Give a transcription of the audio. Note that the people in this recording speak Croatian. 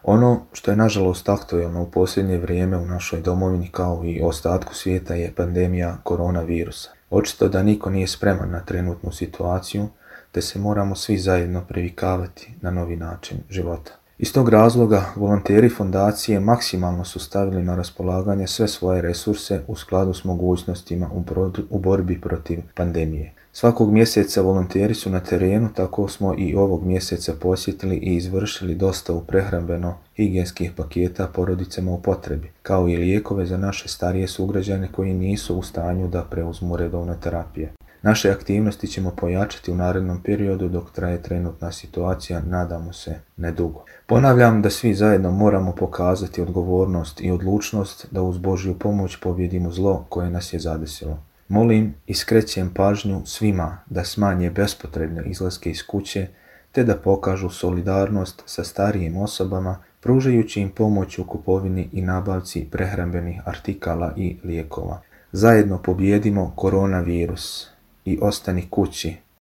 Ono što je nažalost aktuelno u posljednje vrijeme u našoj domovini kao i ostatku svijeta je pandemija koronavirusa. Očito da niko nije spreman na trenutnu situaciju, te se moramo svi zajedno privikavati na novi način života. Iz tog razloga volonteri fondacije maksimalno su stavili na raspolaganje sve svoje resurse u skladu s mogućnostima u borbi protiv pandemije. Svakog mjeseca volonteri su na terenu, tako smo i ovog mjeseca posjetili i izvršili dostavu prehrambeno-higijenskih paketa porodicama u potrebi, kao i lijekove za naše starije sugrađane koji nisu u stanju da preuzmu redovne terapije. Naše aktivnosti ćemo pojačati u narednom periodu dok traje trenutna situacija, nadamo se nedugo. Ponavljam da svi zajedno moramo pokazati odgovornost i odlučnost da uz Božju pomoć pobijedimo zlo koje nas je zadesilo. Molim i skrećem pažnju svima da smanje bespotrebne izlaske iz kuće te da pokažu solidarnost sa starijim osobama pružajući im pomoć u kupovini i nabavci prehrambenih artikala i lijekova. Zajedno pobijedimo koronavirus i ostani kući